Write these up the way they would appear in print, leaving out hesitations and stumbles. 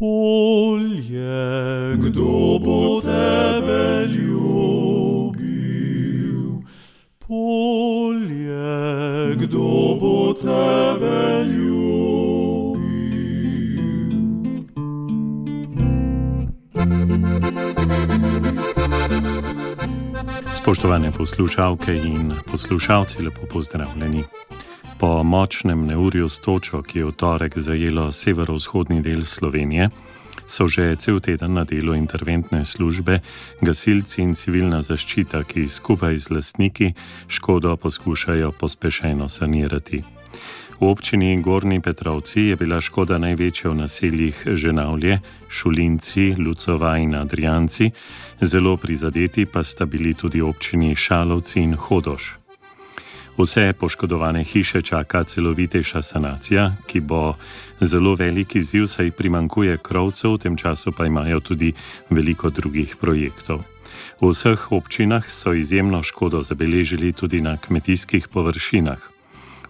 polje, kdo bo tebe ljubil? Polje, kdo bo tebe ljubil? Spoštovane poslušalke in poslušalci, lepo pozdravljeni. Po močnem neurju s točo, ki je v torek zajelo severovzhodni del Slovenije, so že cel teden na delu interventne službe, gasilci in civilna zaščita, ki skupaj z lastniki škodo poskušajo pospešeno sanirati. V občini Gornji Petrovci je bila škoda največja v naseljih Ženavlje, Šulinci, Lucova in Adrijanci, zelo prizadeti pa sta bili tudi občini Šalovci in Hodoš. Vse poškodovane hiše čaka celovitejša sanacija, ki bo zelo velik izziv, saj primanjkuje krovcev, v tem času pa imajo tudi veliko drugih projektov. V vseh občinah so izjemno škodo zabeležili tudi na kmetijskih površinah.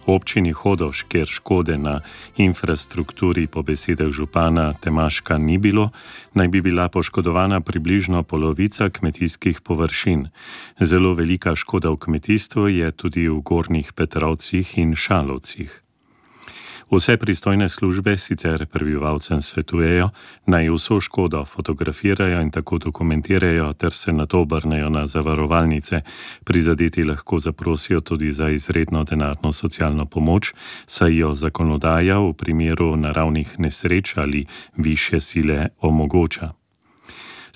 V občini Hodoš, kjer škode na infrastrukturi po besedah župana Temaška ni bilo, naj bi bila poškodovana približno polovica kmetijskih površin. Zelo velika škoda v kmetijstvu je tudi v Gornjih Petrovcih in Šalovcih. Vse pristojne službe sicer prebivalcem svetujejo, naj vso škodo fotografirajo in tako dokumentirajo ter se nato obrnejo na zavarovalnice. Prizadeti lahko zaprosijo tudi za izredno denarno socialno pomoč, saj jo zakonodaja v primeru naravnih nesreč ali višje sile omogoča.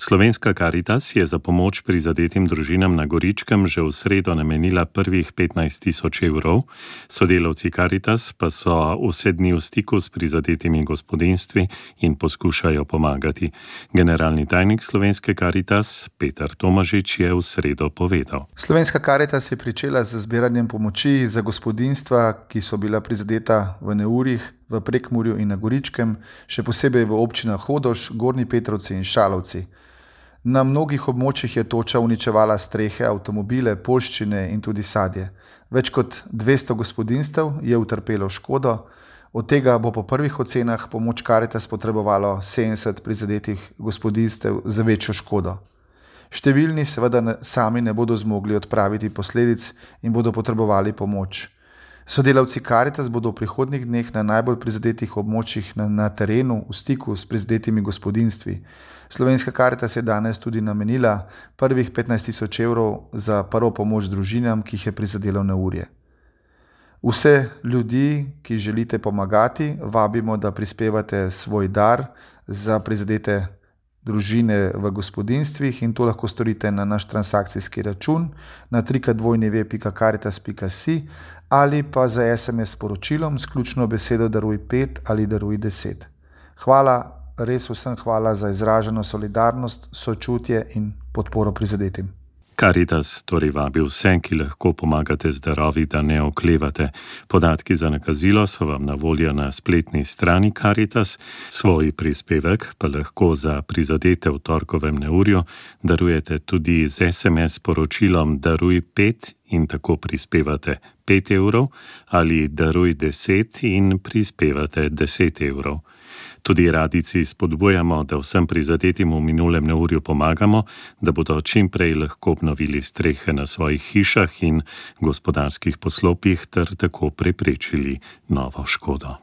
Slovenska Karitas je za pomoč prizadetim družinam na Goričkem že v sredo namenila prvih 15.000 evrov, sodelavci Karitas pa so vse dni v stiku s prizadetimi gospodinjstvi in poskušajo pomagati. Generalni tajnik Slovenske Karitas Peter Tomažič je v sredo povedal. Slovenska Karitas je pričela z zbiranjem pomoči za gospodinjstva, ki so bila prizadeta v neurjih v Prekmurju in na Goričkem, še posebej v občinah Hodoš, Gornji Petrovci in Šalovci. Na mnogih območjih je toča uničevala strehe, avtomobile, poljščine in tudi sadje. Več kot 200 gospodinjstev je utrpelo škodo, od tega bo po prvih ocenah pomoč Karitas potrebovalo 70 prizadetih gospodinjstev za večjo škodo. Številni seveda sami ne bodo zmogli odpraviti posledic in bodo potrebovali pomoč. Sodelavci Karitas bodo v prihodnjih dneh na najbolj prizadetih območjih na terenu v stiku s prizadetimi gospodinjstvi. Slovenska Karitas je danes tudi namenila prvih 15.000 evrov za prvo pomoč družinam, ki jih je prizadelo neurje. Vse ljudi, ki želite pomagati, vabimo, da prispevate svoj dar za prizadete družine v gospodinjstvih in to lahko storite na naš transakcijski račun na www.karitas.si ali pa za SMS sporočilom s ključno besedo daruj 5 ali daruj 10. Hvala, res vsem hvala za izraženo solidarnost, sočutje in podporo prizadetim. Karitas torej vabi vse, ki lahko pomagate z darovi, da ne oklevate. Podatki za nakazilo so vam na voljo na spletni strani Karitas, svoj prispevek pa lahko za prizadete v torkovem neurju darujete tudi z SMS sporočilom daruj 5 in tako prispevate 5 evrov ali daruj 10 in prispevate 10 evrov. Tudi radijci spodbujamo, da vsem prizadetim v minulem neurju pomagamo, da bodo čim prej lahko obnovili strehe na svojih hišah in gospodarskih poslopjih ter tako preprečili novo škodo.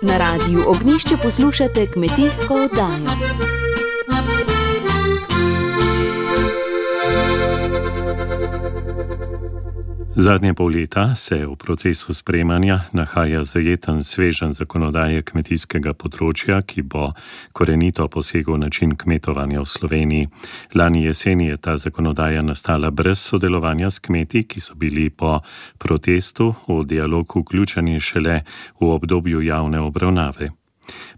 Na Radiu Ognjišče poslušate kmetijsko oddajo. Zadnje pol leta se v procesu sprejemanja nahaja zajeten sveženj zakonodaje kmetijskega področja, ki bo korenito posegel način kmetovanja v Sloveniji. Lani jeseni je ta zakonodaja nastala brez sodelovanja s kmeti, ki so bili po protestu v dialog vključeni šele v obdobju javne obravnave.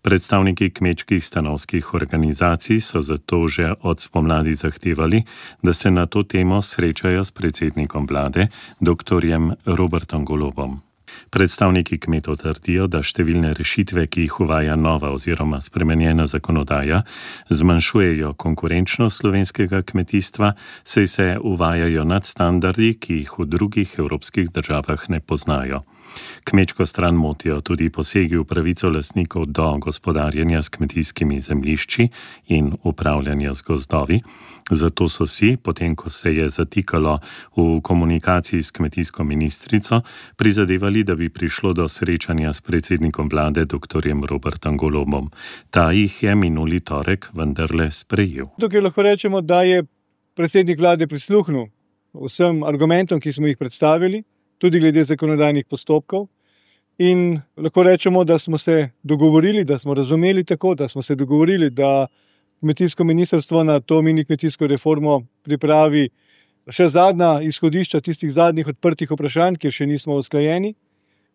Predstavniki kmečkih stanovskih organizacij so zato že od spomladi zahtevali, da se na to temo srečajo s predsednikom vlade, dr. Robertom Golobom. Predstavniki kmetov trdijo, da številne rešitve, ki jih uvaja nova oziroma spremenjena zakonodaja, zmanjšujejo konkurenčnost slovenskega kmetijstva, saj se uvajajo nadstandardi, ki jih v drugih evropskih državah ne poznajo. Kmečko stran motijo tudi posegi v pravico lastnikov do gospodarjenja s kmetijskimi zemljišči in upravljanja z gozdovi. Zato so si, potem ko se je zatikalo v komunikaciji s kmetijsko ministrico, prizadevali, da bi prišlo do srečanja s predsednikom vlade dr. Robertom Golobom. Ta jih je minuli torek vendarle sprejel. Tukaj lahko rečemo, da je predsednik vlade prisluhnil vsem argumentom, ki smo jih predstavili, tudi glede zakonodajnih postopkov. In lahko rečemo, da smo se dogovorili, da smo razumeli tako, da smo se dogovorili, da kmetijsko ministrstvo na to mini kmetijsko reformo pripravi še zadnja izhodišča tistih zadnjih odprtih vprašanj, kjer še nismo usklajeni,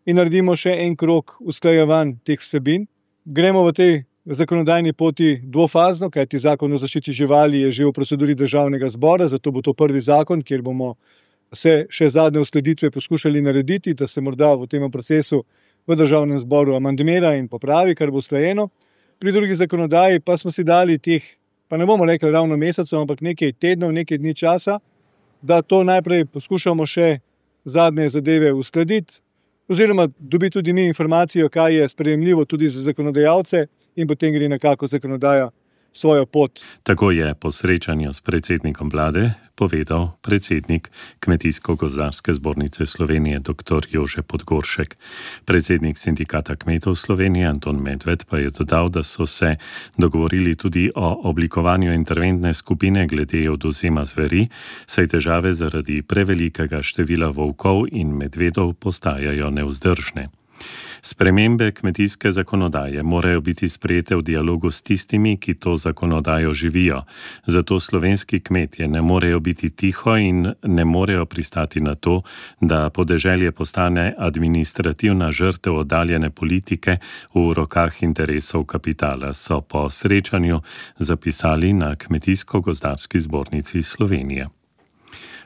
in naredimo še en krog usklajevanj teh vsebin. Gremo v tej zakonodajni poti dvofazno, kajti zakon o zaščiti živali je že v proceduri državnega zbora, zato bo to prvi zakon, kjer bomo se še zadnje uskladitve poskušali narediti, da se morda v tem procesu v državnem zboru amandmira in popravi, kar bo usklajeno. Pri drugi zakonodaji pa smo si dali teh, pa ne bomo rekli ravno mesecev, ampak nekaj tednov, nekaj dni časa, da to najprej poskušamo še zadnje zadeve uskladiti, oziroma dobiti tudi mi informacijo, kaj je sprejemljivo tudi za zakonodajalce, in potem gre nekako zakonodaja svojo pot. Tako je po srečanju s predsednikom vlade povedal predsednik Kmetijsko-gozdarske zbornice Slovenije dr. Jože Podgoršek. Predsednik sindikata kmetov Slovenije Anton Medved pa je dodal, da so se dogovorili tudi o oblikovanju interventne skupine glede odvzema zveri, saj težave zaradi prevelikega števila volkov in medvedov postajajo nevzdržne. Spremembe kmetijske zakonodaje morajo biti sprejete v dialogu s tistimi, ki to zakonodajo živijo. Zato slovenski kmetje ne morejo biti tiho in ne morejo pristati na to, da podeželje postane administrativna žrtev oddaljene politike v rokah interesov kapitala, so po srečanju zapisali na Kmetijsko-gozdarski zbornici Slovenije.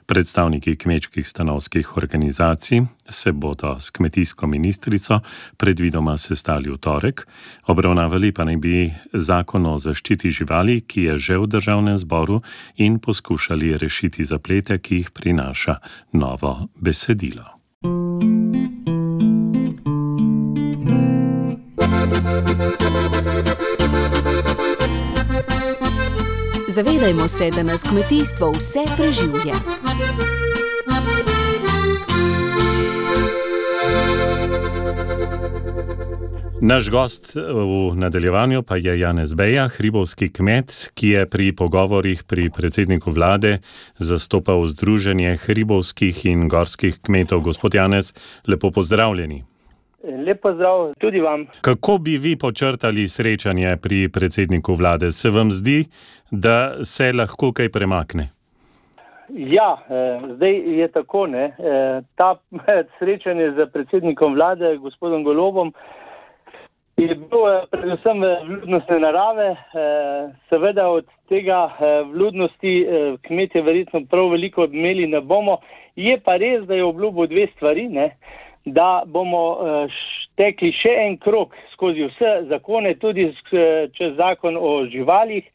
Predstavniki kmečkih stanovskih organizacij se bodo s kmetijsko ministrico predvidoma sestali v torek, obravnavali pa naj bi zakon o zaščiti živali, ki je že v državnem zboru, in poskušali rešiti zaplete, ki jih prinaša novo besedilo. Zavedajmo se, da nas kmetijstvo vse preživlja. Naš gost v nadaljevanju pa je Janez Beja, hribovski kmet, ki je pri pogovorih pri predsedniku vlade zastopal Združenje hribovskih in gorskih kmetov. Gospod Janez, lepo pozdravljeni. Lep pozdrav tudi vam. Kako bi vi počrtali srečanje pri predsedniku vlade? Se vam zdi, da se lahko kaj premakne? Ja, zdaj je tako, ne. Ta srečanje z predsednikom vlade, gospodom Golobom, je bilo predvsem vljudnostne narave. Seveda od tega vljudnosti kmetje verjetno prav veliko odmeli ne bomo. Je pa res, da je obljubil dve stvari, ne. Da bomo tekli še en krog skozi vse zakone, tudi čez zakon o živalih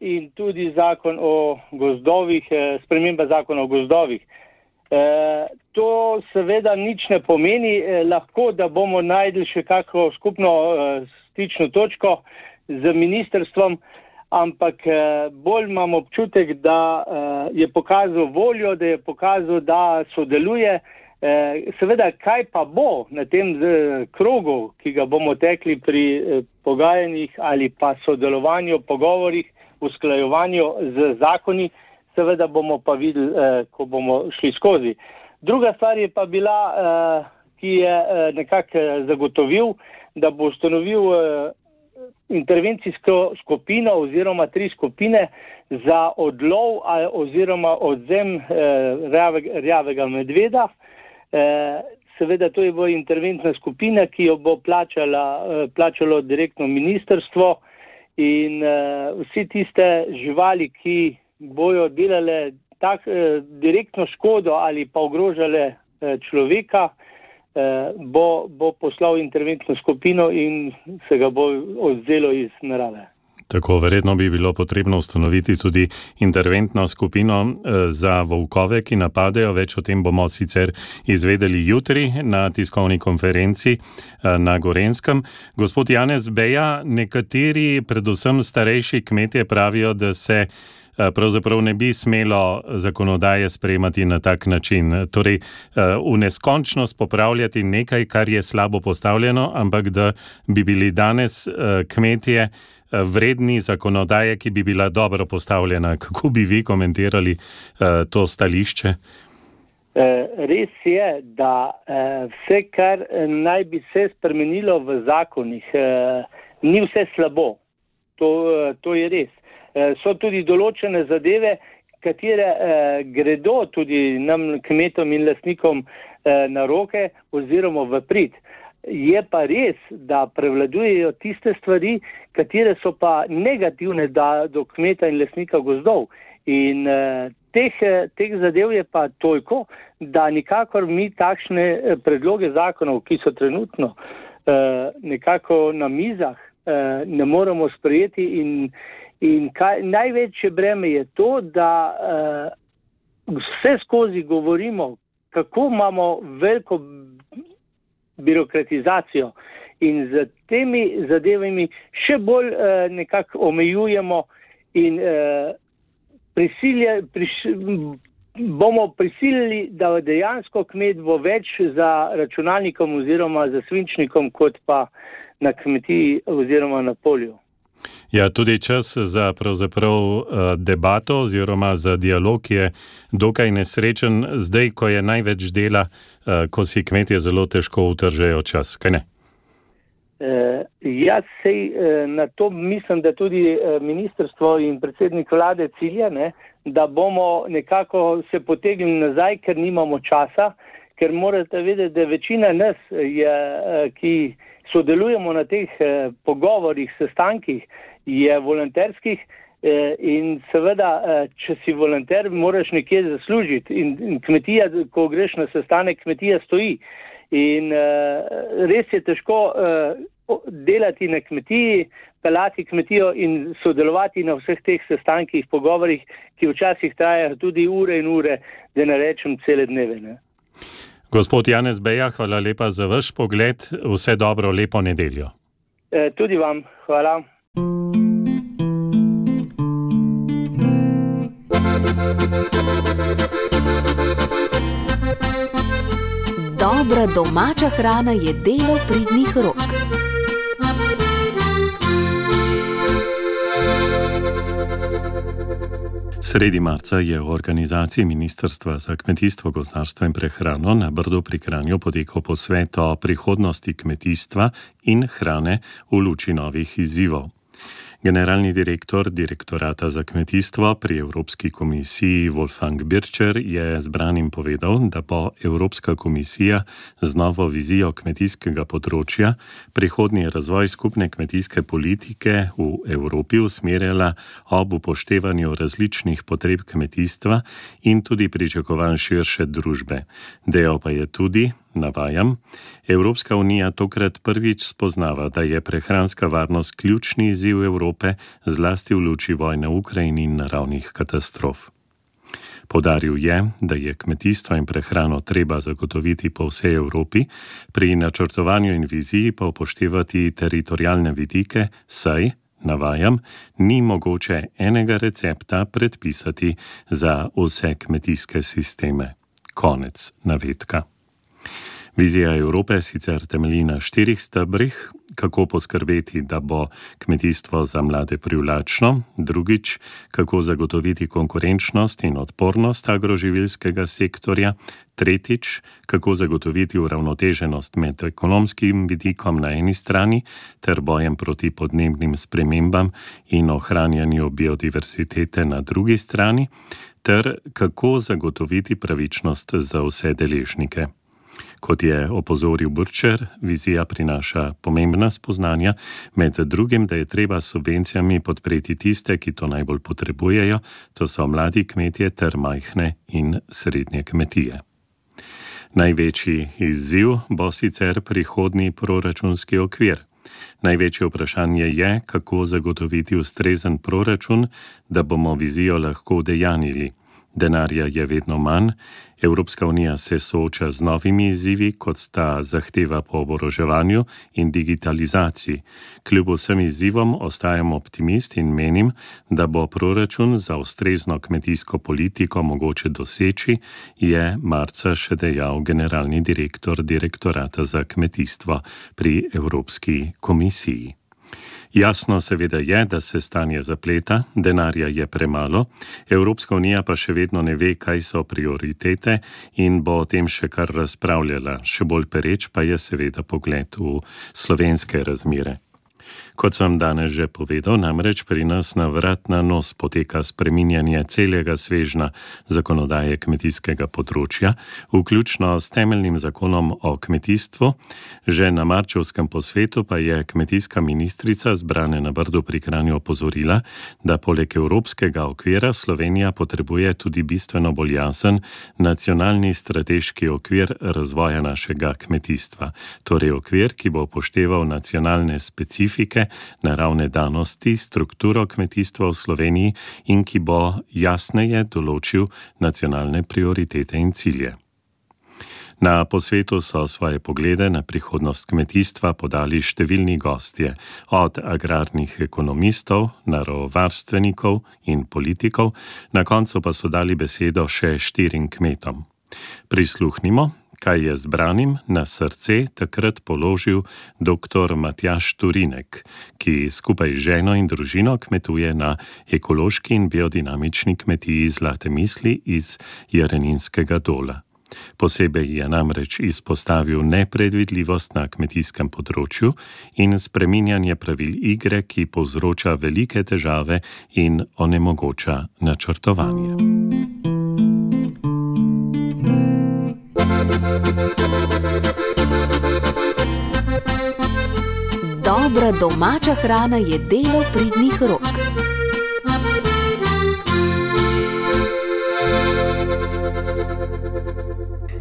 in tudi zakon o gozdovih, sprememba zakona o gozdovih. To seveda nič ne pomeni, lahko da bomo najdli še kakšno skupno stično točko z ministrstvom, ampak bolj imam občutek, da je pokazal voljo, da je pokazal, da sodeluje. Seveda, kaj pa bo na tem krogu, ki ga bomo tekli pri pogajanjih ali pa sodelovanju, pogovorih, usklajevanju z zakoni, seveda bomo pa videli, ko bomo šli skozi. Druga stvar je pa bila, ki je nekako zagotovil, da bo ustanovil intervencijsko skupino oziroma 3 skupine za odlov oziroma odvzem rjavega medveda. Seveda to je bo interventna skupina, ki jo bo plačalo direktno ministrstvo, in vsi tiste živali, ki bojo delale direktno škodo ali pa ogrožale človeka, bo poslal interventno skupino in se ga bo odvzelo iz narave. Tako, verjetno bi bilo potrebno ustanoviti tudi interventno skupino za volkove, ki napadejo. Več o tem bomo sicer izvedeli jutri na tiskovni konferenci na Gorenjskem. Gospod Janez Beja, nekateri, predvsem starejši kmetje, pravijo, da se pravzaprav ne bi smelo zakonodaje sprejemati na tak način. Torej, v neskončnost popravljati nekaj, kar je slabo postavljeno, ampak da bi bili danes kmetje vredni zakonodaje, ki bi bila dobro postavljena. Kako bi vi komentirali to stališče? Res je, da vse, kar naj bi se spremenilo v zakonih, ni vse slabo. To je res. So tudi določene zadeve, katere gredo tudi nam, kmetom in lastnikom, na roke oziroma v prid. Je pa res, da prevladujejo tiste stvari, katere so pa negativne do kmeta in lastnika gozdov. In teh zadev je pa toliko, da nikakor mi takšne predloge zakonov, ki so trenutno nekako na mizah, ne moremo sprejeti in največje breme je to, da vse skozi govorimo, kako imamo veliko birokratizacijo in z temi zadevami še bolj nekako omejujemo in bomo prisilili, da dejansko kmet bo več za računalnikom oziroma za svinčnikom, kot pa na kmetiji oziroma na polju. Ja, tudi čas za pravzaprav debato oziroma za dialog je dokaj nesrečen, zdaj, ko je največ dela, ko si kmetje zelo težko utržejo čas, kaj ne? Jaz na to mislim, da tudi ministrstvo in predsednik vlade cilja, da bomo nekako se potegnili nazaj, ker nimamo časa, ker morate vedeti, da večina nas, ki sodelujemo na teh pogovorih, sestankih, je volonterskih in seveda, če si volonter, moraš nekje zaslužiti in kmetija, ko greš na sestanek, kmetija stoji. In res je težko delati na kmetiji, pelati kmetijo in sodelovati na vseh teh sestankih, pogovorih, ki včasih trajajo tudi ure in ure, da ne rečem cele dneve. Gospod Janez Beja, hvala lepa za vaš pogled. Vse dobro, lepo nedeljo. Tudi vam, hvala. Dobra domača hrana je delo pridnih rok. Sredi marca je v organizaciji Ministrstva za kmetijstvo, gozdarstvo in prehrano na Brdu pri Kranju potekal posvet o prihodnosti kmetijstva in hrane v luči novih izzivov. Generalni direktor Direktorata za kmetijstvo pri Evropski komisiji Wolfgang Bircher je zbranim povedal, da bo Evropska komisija z novo vizijo kmetijskega področja prihodnji razvoj skupne kmetijske politike v Evropi usmerjala ob upoštevanju različnih potreb kmetijstva in tudi pričakovanj širše družbe. Dejal pa je tudi, navajam, Evropska unija tokrat prvič spoznava, da je prehranska varnost ključni izziv Evrope, zlasti v luči vojne v Ukrajini in naravnih katastrof. Poudaril je, da je kmetijstvo in prehrano treba zagotoviti po vsej Evropi, pri načrtovanju in viziji pa upoštevati teritorialne vidike, saj, navajam, ni mogoče enega recepta predpisati za vse kmetijske sisteme. Konec navedka. Vizija Evrope sicer temelji na 4 stebrih, kako poskrbeti, da bo kmetijstvo za mlade privlačno, drugič, kako zagotoviti konkurenčnost in odpornost agroživilskega sektorja, tretjič, kako zagotoviti uravnoteženost med ekonomskim vidikom na eni strani ter bojem proti podnebnim spremembam in ohranjanju biodiverzitete na drugi strani, ter kako zagotoviti pravičnost za vse deležnike. Kot je opozoril Bircher, vizija prinaša pomembna spoznanja, med drugim, da je treba s subvencijami podpreti tiste, ki to najbolj potrebujejo, to so mladi kmetje ter majhne in srednje kmetije. Največji izziv bo sicer prihodnji proračunski okvir. Največje vprašanje je, kako zagotoviti ustrezen proračun, da bomo vizijo lahko udejanjili. Denarja je vedno manj, Evropska unija se sooča z novimi izzivi, kot sta zahteva po oboroževanju in digitalizaciji. Kljub vsem izzivom ostajam optimist in menim, da bo proračun za ustrezno kmetijsko politiko mogoče doseči, je marca še dejal generalni direktor Direktorata za kmetijstvo pri Evropski komisiji. Jasno seveda je, da se stanje zapleta, denarja je premalo, Evropska unija pa še vedno ne ve, kaj so prioritete in bo o tem še kar razpravljala. Še bolj pereč pa je seveda pogled v slovenske razmere. Kot sem danes že povedal, namreč pri nas na vrat na nos poteka spreminjanje celega svežna zakonodaje kmetijskega področja, vključno s temeljnim zakonom o kmetijstvu. Že na marčevskem posvetu pa je kmetijska ministrica zbrane na Brdu pri Kranju opozorila, da poleg evropskega okvira Slovenija potrebuje tudi bistveno bolj jasen nacionalni strateški okvir razvoja našega kmetijstva. Torej okvir, ki bo upošteval nacionalne specifike, naravne danosti, strukturo kmetijstva v Sloveniji in ki bo jasneje določil nacionalne prioritete in cilje. Na posvetu so svoje poglede na prihodnost kmetijstva podali številni gostje, od agrarnih ekonomistov, naravovarstvenikov in politikov, na koncu pa so dali besedo še 4 kmetom. Prisluhnimo, kaj je zbranim na srce takrat položil dr. Matjaž Turinek, ki skupaj z ženo in družino kmetuje na ekološki in biodinamični kmetiji Zlate misli iz Jareninskega Dola. Posebej je namreč izpostavil nepredvidljivost na kmetijskem področju in spreminjanje pravil igre, ki povzroča velike težave in onemogoča načrtovanje. Dobra domača hrana je delo pridnih rok.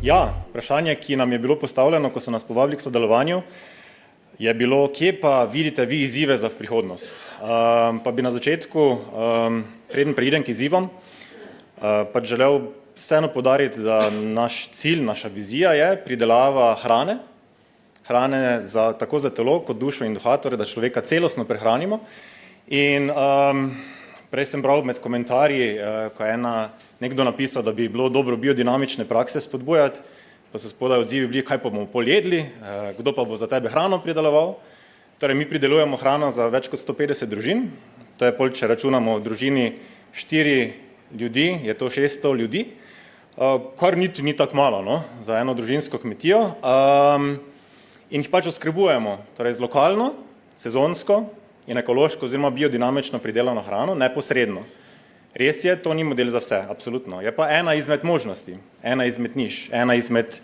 Ja, vprašanje, ki nam je bilo postavljeno, ko so nas povabili k sodelovanju, je bilo, kje pa vidite vi izzive za prihodnost. Pa bi na začetku, preden preidem k izzivom, pač želel vseeno poudariti, da naš cilj, naša vizija je pridelava hrane tako za telo kot dušo in duha, torej da človeka celostno prehranimo. In prej sem bral med komentarji, ko je nekdo napisal, da bi bilo dobro biodinamične prakse spodbujati, pa so spodaj odzivi bili, kaj pa bomo pojedli, kdo pa bo za tebe hrano prideloval. Torej mi pridelujemo hrano za več kot 150 družin, to je če računamo v družini 4 ljudi, je to 600 ljudi, kar niti ni tako malo, no, za eno družinsko kmetijo. In jih pač oskrbujemo, torej z lokalno, sezonsko in ekološko oziroma biodinamično pridelano hrano neposredno. Res je, to ni model za vse, absolutno. Je pa ena izmed možnosti, ena izmed niš, ena izmed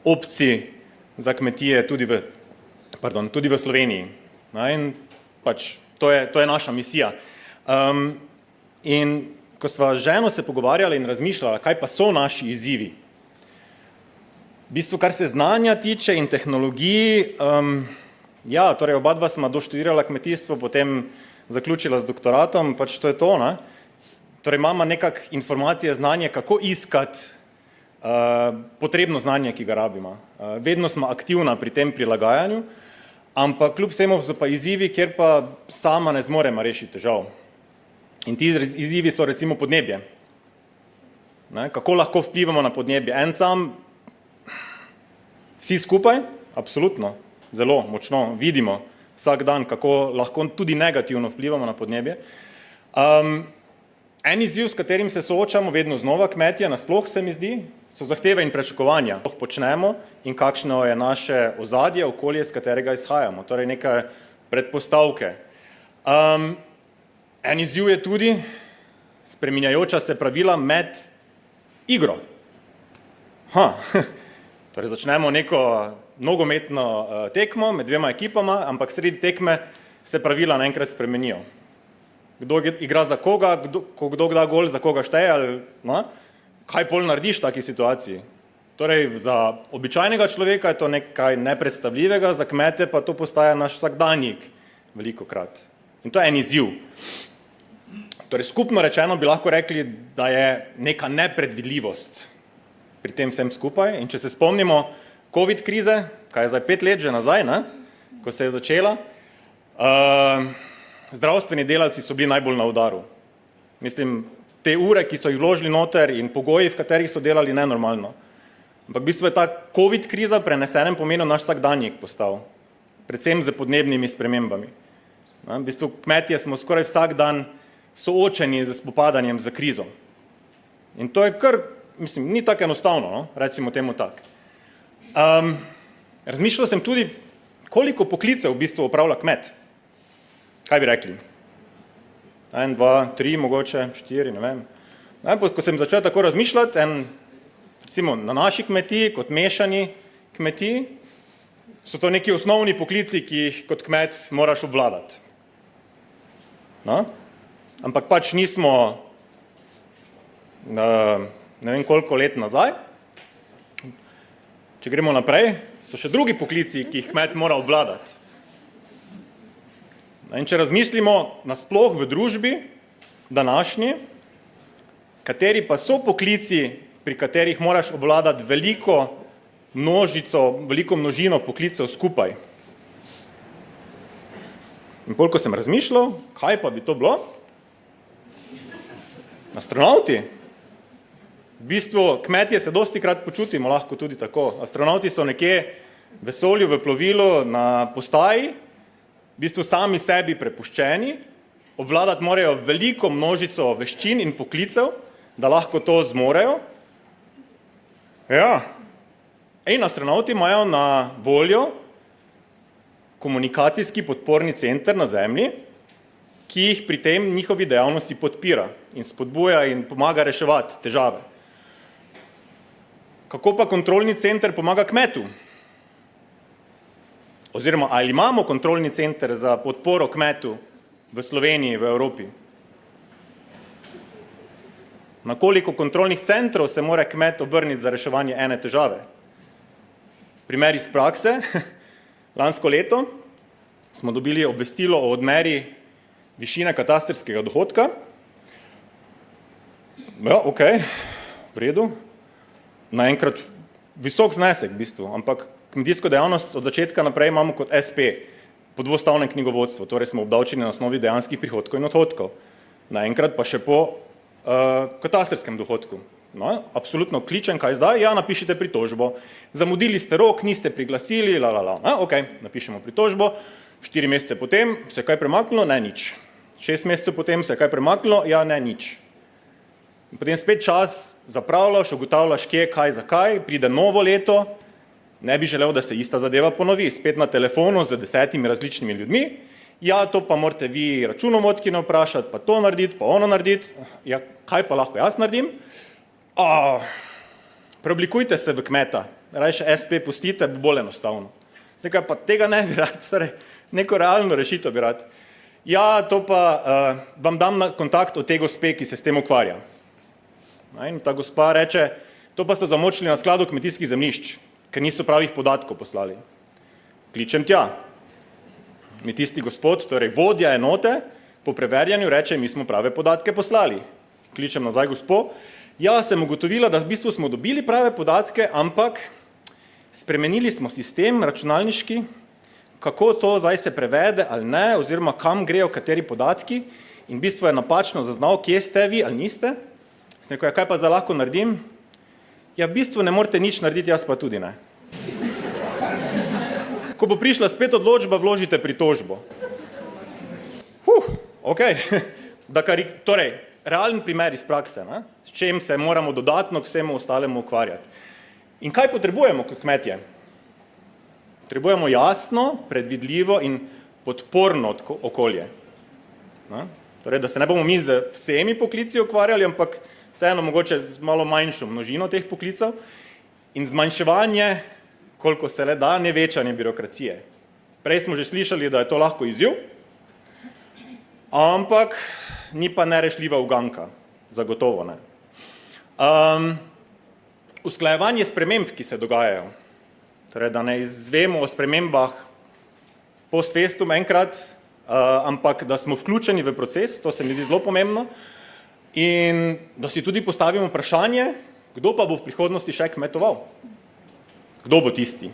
opcij za kmetije tudi v Sloveniji. In pač to je naša misija. In ko sva z ženo se pogovarjala in razmišljala, kaj pa so naši izzivi, v bistvu, kar se znanja tiče in tehnologiji, torej oba dva sva doštudirala kmetijstvo, potem zaključila z doktoratom, pač to je to, ne? Torej imamo nekak informacije, znanje, kako iskati potrebno znanje, ki ga rabimo. Vedno smo aktivna pri tem prilagajanju, ampak kljub vsemu so pa izzivi, kjer pa sama ne zmoremo rešiti težav. In ti izzivi so recimo podnebje. Kako lahko vplivamo na podnebje? En sam, vsi skupaj, absolutno, zelo močno vidimo vsak dan, kako lahko tudi negativno vplivamo na podnebje. En izziv, s katerim se soočamo vedno znova kmetje, nasploh se mi zdi, so zahteve in pričakovanja. To počnemo in kakšno je naše ozadje, okolje, s katerega izhajamo. Torej neke predpostavke. En izziv je tudi spreminjajoča se pravila med igro. Torej začnemo neko nogometno tekmo med dvema ekipama, ampak sredi tekme se pravila naenkrat spremenijo. Kdo igra za koga, kdo da gol, za koga šteje, ali kaj pol narediš v taki situaciji? Torej, za običajnega človeka je to nekaj nepredstavljivega, za kmete pa to postaja naš vsakdanjik velikokrat. In to je en izziv. Torej, skupno rečeno bi lahko rekli, da je neka nepredvidljivost pri tem vsem skupaj. In če se spomnimo COVID krize, kaj je zdaj 5 let že nazaj, ne? Ko se je začela, zdravstveni delavci so bili najbolj na udaru. Mislim, te ure, ki so jih vložili noter in pogoji, v katerih so delali, nenormalno. Ampak v bistvu je ta COVID kriza prenesenem pomenu naš vsakdanjik postal, predvsem z podnebnimi spremembami. V bistvu kmetje smo skoraj vsak dan soočeni z spopadanjem z krizo. In to je kar, mislim, ni tako enostavno, no? Recimo temu tak. Razmišljal sem tudi, koliko poklicev v bistvu opravlja kmet. Kaj bi rekli? 1, 2, 3, mogoče 4, ne vem. Ko sem začel tako razmišljati, recimo na naši kmetiji, kot mešani kmetiji, so to neki osnovni poklici, ki jih kot kmet moraš obvladati. No? Ampak pač nismo, ne vem koliko let nazaj. Če gremo naprej, so še drugi poklici, ki jih kmet mora obvladati. In če razmislimo nasploh v družbi današnji, kateri pa so poklici, pri katerih moraš obvladati veliko množino poklicev skupaj. In koliko sem razmišljal, kaj pa bi to bilo? Astronavti. V bistvu kmetje se dostikrat počutimo lahko tudi tako. Astronavti so nekje v vesolju, v plovilu, na postaji, v bistvu sami sebi prepuščeni, obvladati morajo veliko množico veščin in poklicev, da lahko to zmorejo. Ja. In astronavti imajo na voljo komunikacijski podporni center na Zemlji, ki jih pri tem njihovi dejavnosti podpira in spodbuja in pomaga reševati težave. Kako pa kontrolni center pomaga kmetu? Oziroma, ali imamo kontrolni center za podporo kmetu v Sloveniji, v Evropi? Na koliko kontrolnih centrov se mora kmet obrniti za reševanje ene težave? Primer iz prakse. Lansko leto smo dobili obvestilo o odmeri višine katastrskega dohodka. Ja, ok, v redu. Naenkrat visok znesek v bistvu, ampak kmetijsko dejavnost od začetka naprej imamo kot SP, po dvostavnem knjigovodstvu, torej smo obdavčeni na osnovi dejanskih prihodkov in odhodkov. Naenkrat pa še po katastrskem dohodku. No, absolutno kličem, kaj zdaj? Ja, napišite pritožbo. Zamudili ste rok, niste priglasili, Ok, napišemo pritožbo. 4 mesece potem se je kaj premaknilo? Ne, nič. 6 mesecev potem se je kaj premaknilo? Ja, ne, nič. In potem spet čas zapravljaš, ugotavljaš, kje, kaj, zakaj, pride novo leto, ne bi želel, da se ista zadeva ponovi, spet na telefonu z 10 različnimi ljudmi, ja, to pa morate vi računovodkinjo vprašati, pa to narediti, pa ono narediti, ja, kaj pa lahko jaz naredim? Preoblikujte se v kmeta, rajše SP pustite, bo bolj enostavno. Nekaj pa tega ne bi rad, torej neko realno rešitev bi rad. Ja, to pa vam dam na kontakt od te gospe, ki se s tem ukvarja. In ta gospa reče, to pa so zamočili na skladu kmetijskih zemljišč, ker niso pravih podatkov poslali. Kličem tja. Mi tisti gospod, torej vodja enote, po preverjanju reče, mi smo prave podatke poslali. Kličem nazaj gospo. Ja, sem ugotovila, da v bistvu smo dobili prave podatke, ampak spremenili smo sistem računalniški, kako to zdaj se prevede ali ne, oziroma kam grejo kateri podatki in v bistvu je napačno zaznal, kje ste vi ali niste. Sem rekel, ja, kaj pa zdaj lahko naredim? Ja, v bistvu ne morate nič narediti, jaz pa tudi ne. Ko bo prišla spet odločba, vložite pritožbo. Ok. Torej, realen primer iz prakse, ne? S čem se moramo dodatno k vsemu ostalemu ukvarjati. In kaj potrebujemo kot kmetje? Potrebujemo jasno, predvidljivo in podporno okolje. Ne? Torej, da se ne bomo mi z vsemi poklici ukvarjali, ampak vseeno mogoče z malo manjšo množino teh poklicev in zmanjševanje, koliko se le da, nevečanje birokracije. Prej smo že slišali, da je to lahko izziv, ampak ni pa nerešljiva uganka, zagotovo ne. usklajevanje sprememb, ki se dogajajo. Torej, da ne izvemo o spremembah post festum enkrat, ampak da smo vključeni v proces, to se mi zdi zelo pomembno, in da si tudi postavimo vprašanje, kdo pa bo v prihodnosti še kmetoval? Kdo bo tisti?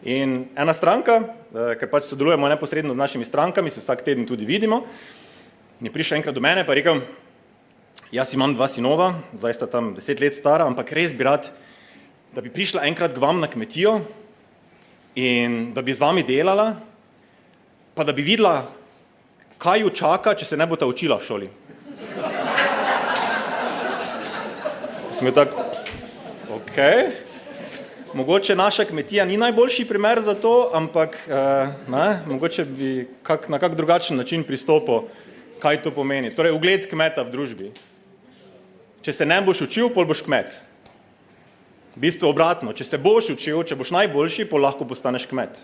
In ena stranka, ker pač sodelujemo neposredno z našimi strankami, se vsak teden tudi vidimo, in je prišel enkrat do mene, pa rekel, jaz imam 2 sinova, zdaj sta tam 10 let stara, ampak res bi rad, da bi prišla enkrat k vam na kmetijo in da bi z vami delala, pa da bi videla, kaj jo čaka, če se ne bo ta učila v šoli. Smo jo tako, mogoče naša kmetija ni najboljši primer za to, ampak mogoče bi na kak drugačen način pristopil, kaj to pomeni. Torej, ugled kmeta v družbi. Če se ne boš učil, pol boš kmet. V bistvu obratno, če se boš učil, če boš najboljši, pol lahko postaneš kmet.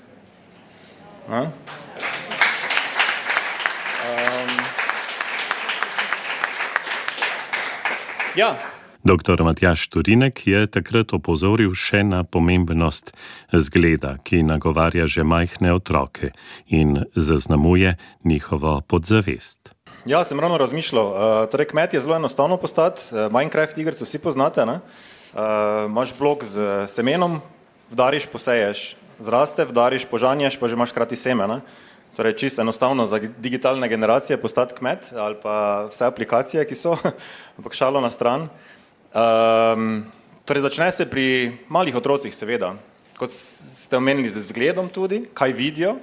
Ja. Dr. Matjaž Turinek je takrat opozoril še na pomembnost zgleda, ki nagovarja že majhne otroke in zaznamuje njihovo podzavest. Ja, sem ravno razmišljal. Torej, kmet je zelo enostavno postati. Minecraft igrico vsi poznate, ne? Imaš blok z semenom, vdariš, poseješ, zraste, vdariš, požanješ, pa že imaš hkrati seme, ne? Torej, čisto enostavno za digitalne generacije postati kmet ali pa vse aplikacije, ki so, ampak šalo na stran. Torej, začne se pri malih otrocih, seveda, kot ste omenili z vzgledom tudi, kaj vidijo,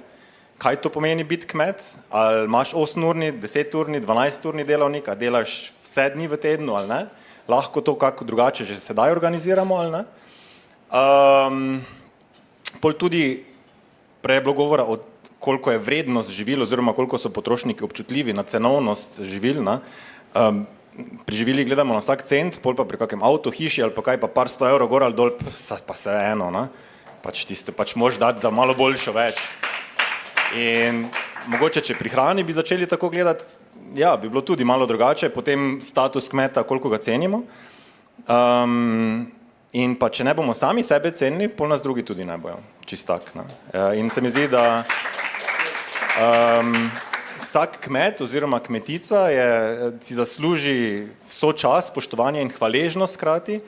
kaj to pomeni biti kmet, ali imaš 8-urni, 10-urni, 12-urni delavnik, a delaš vse dni v tednu ali ne, lahko to kako drugače že sedaj organiziramo ali ne. Pol tudi prej je bilo govora o koliko je vrednost živil oziroma koliko so potrošniki občutljivi na cenovnost živil, ne. Pri živilih gledamo na vsak cent, pol pa pri kakem avto, hiši ali pa kaj, pa par 100 evrov gor ali dol, pa se eno, ne. Pač tiste, pač moš dati za malo boljšo več. In mogoče, če pri hrani bi začeli tako gledati, ja, bi bilo tudi malo drugače, potem status kmeta, koliko ga cenimo. In pa, če ne bomo sami sebe cenili, pol nas drugi tudi ne bojo, čist tak, ne. In se mi zdi, da vsak kmet oziroma kmetica si zasluži vso čas, spoštovanje in hvaležnost hkrati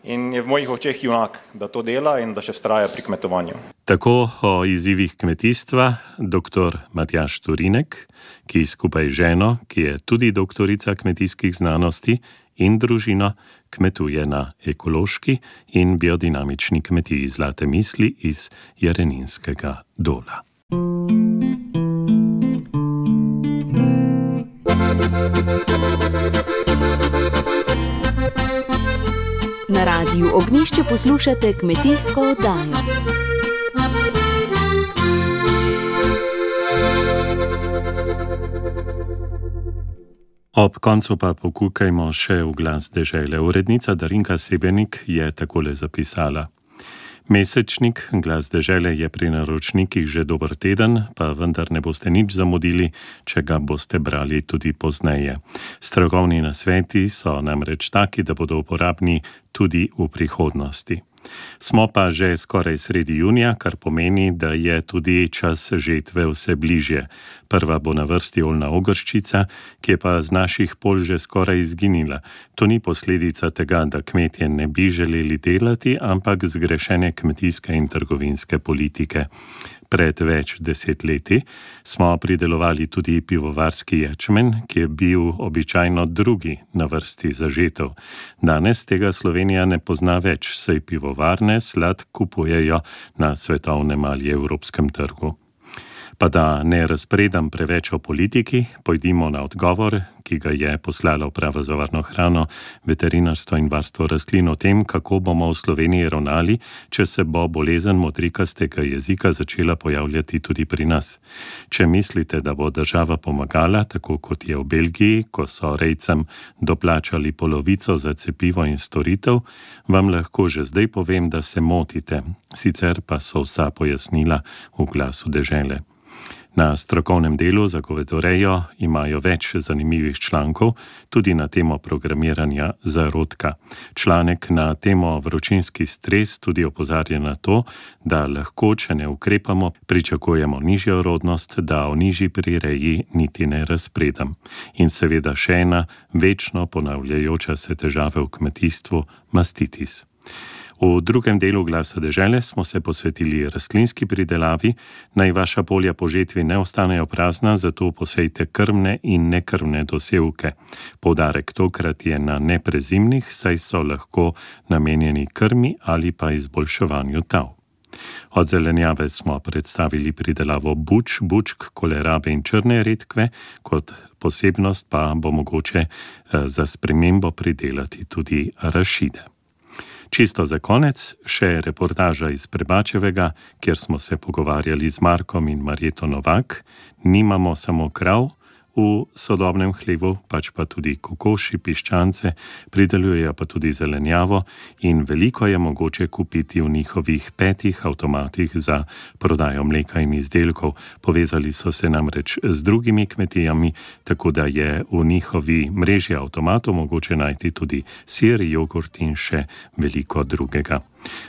in je v mojih očeh junak, da to dela in da še vztraja pri kmetovanju. Tako o izzivih kmetijstva dr. Matjaž Turinek, ki skupaj z ženo, ki je tudi doktorica kmetijskih znanosti, in družino kmetuje na ekološki in biodinamični kmetiji Zlate misli iz Jareninskega Dola. Na Radiu Ognjišče poslušate kmetijsko oddajo. Ob koncu pa pokukajmo še v glas dežele. Urednica Darinka Sebenik je takole zapisala. Mesečnik Glas dežele je pri naročnikih že dober teden, pa vendar ne boste nič zamudili, če ga boste brali tudi pozneje. Strokovni nasveti so namreč taki, da bodo uporabni tudi v prihodnosti. Smo pa že skoraj sredi junija, kar pomeni, da je tudi čas žetve vse bližje. Prva bo na vrsti oljna ogrščica, ki je pa z naših polj že skoraj izginila. To ni posledica tega, da kmetje ne bi želeli delati, ampak zgrešene kmetijske in trgovinske politike. Pred več desetletji smo pridelovali tudi pivovarski ječmen, ki je bil običajno drugi na vrsti za žetev. Danes tega Slovenija ne pozna več, saj pivovarne slad kupujejo na svetovnem ali evropskem trgu. Pa da ne razpredam preveč o politiki, pojdimo na odgovor, ki ga je poslala Uprava za varno hrano, veterinarstvo in varstvo rastlin o tem, kako bomo v Sloveniji ravnali, če se bo bolezen modrikastega jezika začela pojavljati tudi pri nas. Če mislite, da bo država pomagala, tako kot je v Belgiji, ko so rejcem doplačali polovico za cepivo in storitev, vam lahko že zdaj povem, da se motite. Sicer pa so vsa pojasnila v Glasu dežele. Na strokovnem delu za govedorejo imajo več zanimivih člankov, tudi na temo programiranja zarodka. Članek na temo vročinski stres tudi opozarja na to, da lahko, če ne ukrepamo, pričakujemo nižjo rodnost, da o nižji prireji niti ne razpredam. In seveda še ena večno ponavljajoča se težava v kmetijstvu, mastitis. V drugem delu Glasa dežele smo se posvetili rastlinski pridelavi. Naj vaša polja po žetvi ne ostanejo prazna, zato posejte krmne in nekrmne dosevke. Poudarek tokrat je na neprezimnih, saj so lahko namenjeni krmi ali pa izboljševanju tav. Od zelenjave smo predstavili pridelavo buč, bučk, kolerabe in črne redkve, kot posebnost pa bo mogoče za spremembo pridelati tudi arašide. Čisto za konec še reportaža iz Prebačevega, kjer smo se pogovarjali z Markom in Marjeto Novak. Nimamo samo krav v sodobnem hlevu, pač pa tudi kokoši, piščance, pridelujejo pa tudi zelenjavo in veliko je mogoče kupiti v njihovih 5 avtomatih za prodajo mleka in izdelkov. Povezali so se namreč z drugimi kmetijami, tako da je v njihovi mreži avtomatov mogoče najti tudi sir, jogurt in še veliko drugega.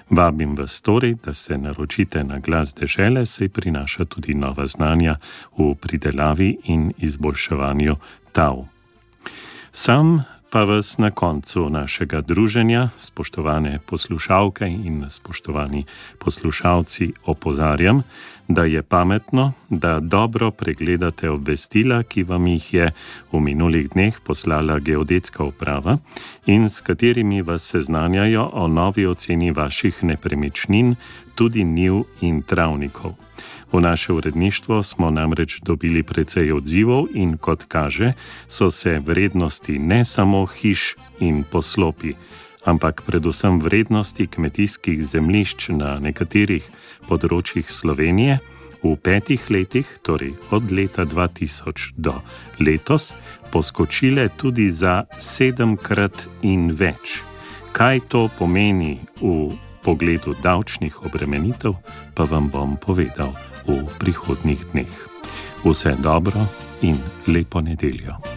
Vabim vas torej, da se naročite na Glas dežele, saj prinaša tudi nova znanja v pridelavi in izboljševanju tav. Sam pa vas na koncu našega druženja, spoštovane poslušalke in spoštovani poslušalci, opozarjam, da je pametno, da dobro pregledate obvestila, ki vam jih je v minulih dneh poslala geodetska uprava in s katerimi vas seznanjajo o novi oceni vaših nepremičnin, tudi njiv in travnikov. V naše uredništvo smo namreč dobili precej odzivov in kot kaže, so se vrednosti ne samo hiš in poslopi, ampak predvsem vrednosti kmetijskih zemljišč na nekaterih področjih Slovenije v 5 letih, torej od leta 2000 do letos, poskočile tudi za 7-krat in več. Kaj to pomeni v pogledu davčnih obremenitev, pa vam bom povedal v prihodnjih dneh. Vse dobro in lepo nedeljo.